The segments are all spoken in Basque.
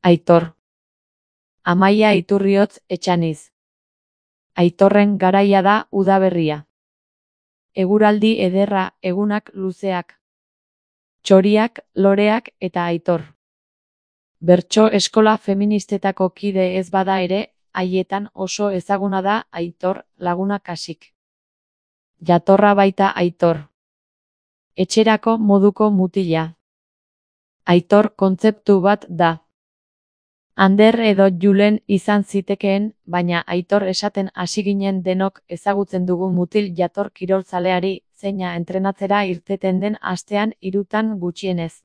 Aitor. Amaia Iturriotz Etxaniz. Aitorren garaia da udaberria. Eguraldi ederra, egunak luzeak. Txoriak, loreak eta Aitor. Bertso eskola feministetako kide ez bada ere, haietan oso ezaguna da Aitor Laguna Kasik. Jatorra baita Aitor. Etxerako moduko mutila. Aitor kontzeptu bat da. Ander edo Julen izan zitekeen, baina Aitor esaten hasi ginen denok ezagutzen dugu mutil jator kirolzaleari, zeina entrenatzera irteten den astean 3 gutxienez.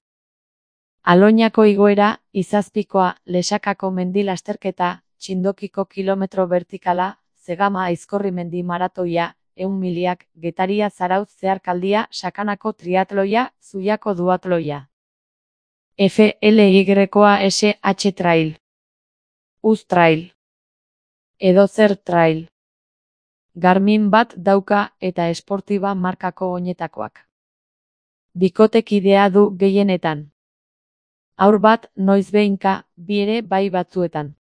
Aloñako igoera, Izazpikoa, Lesakako mendi lasterketa, Txindokiko kilometro vertikala, Zegama Aizkorri mendi maratoia, 100 miliak, Getaria Zarautz zeharkaldia, Sakanako triatloia, Zuiako duatloia. FLYSH Trail. Uz Trail. Edozer Trail. Garmin bat dauka eta esportiba markako oinetakoak. Bikotekidea du gehienetan. Haur bat noizbehinka, bi ere bai batzuetan.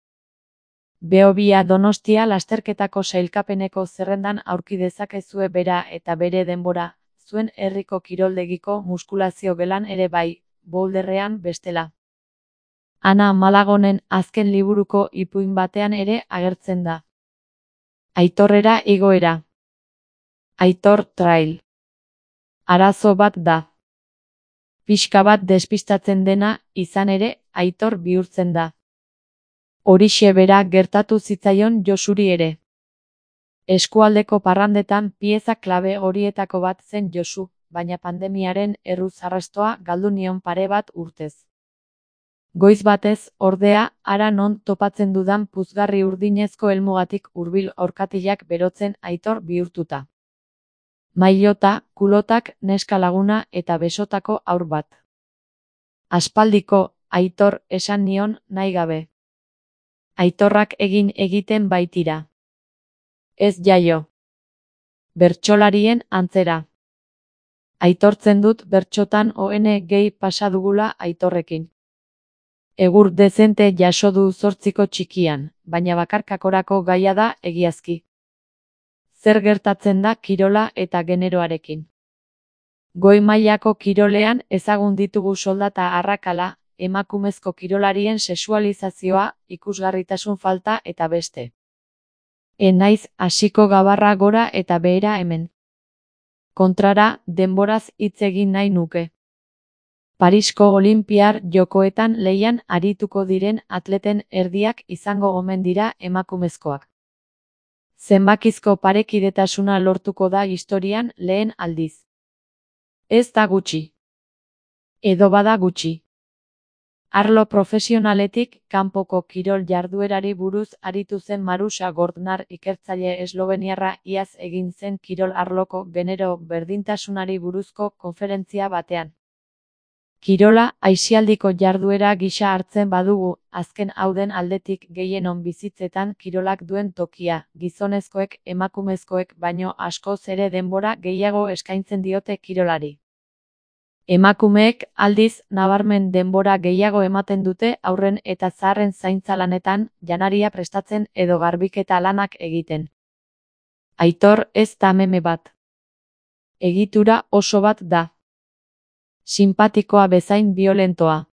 Behobia Donostia lasterketako sailkapeneko zerrendan aurki dezakezue bera eta bere denbora, zuen herriko kiroldegiko muskulazio gelan ere bai, boulderrean bestela. Ana Malagonen azken liburuko ipuin batean ere agertzen da. Aitorrera igoera. Aitor Trail. Arazo bat da. Pixka bat despistatzen dena, izan ere, Aitor bihurtzen da. Horixe bera gertatu zitzaion Josuri ere. Eskualdeko parrandetan pieza klabe horietako bat zen Josu, baina pandemiaren erruz arrastoa galdu nion pare bat urtez. Goiz batez, ordea, hara non topatzen dudan puzgarri urdinezko helmugatik hurbil orkatilak berotzen Aitor bihurtuta. Mailota, kulotak, neska laguna eta besotako haur bat. Aspaldiko, Aitor, esan nion, nahi gabe. Aitorrak egiten baitira. Ez jaio. Bertsolarien antzera. Aitortzen dut bertsotan gehi pasa dugula Aitorrekin. Egur dezente jaso du 8ko txikian, baina bakarkakorako gaia da egiazki. Zer gertatzen da kirola eta generoarekin. Goi mailako kirolean ezagun ditugu soldata arrakala, emakumezko kirolarien sexualizazioa, ikusgarritasun falta eta beste. Naiz hasiko gabarra gora eta behera hemen. Kontrara, denboraz hitz egin nahi nuke. Parisko Olinpiar Jokoetan lehian arituko diren atleten erdiak izango omen dira emakumezkoak. Zenbakizko parekidetasuna lortuko da historian lehen aldiz. Ez da gutxi. Edo bada gutxi. Arlo profesionaletik, kanpoko kirol jarduerari buruz aritu zen Marusa Gordnar ikertzaile esloveniarra iaz egin zen kirol arloko genero berdintasunari buruzko konferentzia batean. Kirola aisialdiko jarduera gisa hartzen badugu, azken hauden aldetik gehienon bizitzetan kirolak duen tokia, gizonezkoek emakumezkoek baino askoz ere denbora gehiago eskaintzen diote kirolari. Emakumeek, aldiz, nabarmen denbora gehiago ematen dute haurren eta zaharren zaintza lanetan, janaria prestatzen edo garbiketa lanak egiten. Aitor ez da meme bat. Egitura oso bat da. Sinpatikoa bezain biolentoa.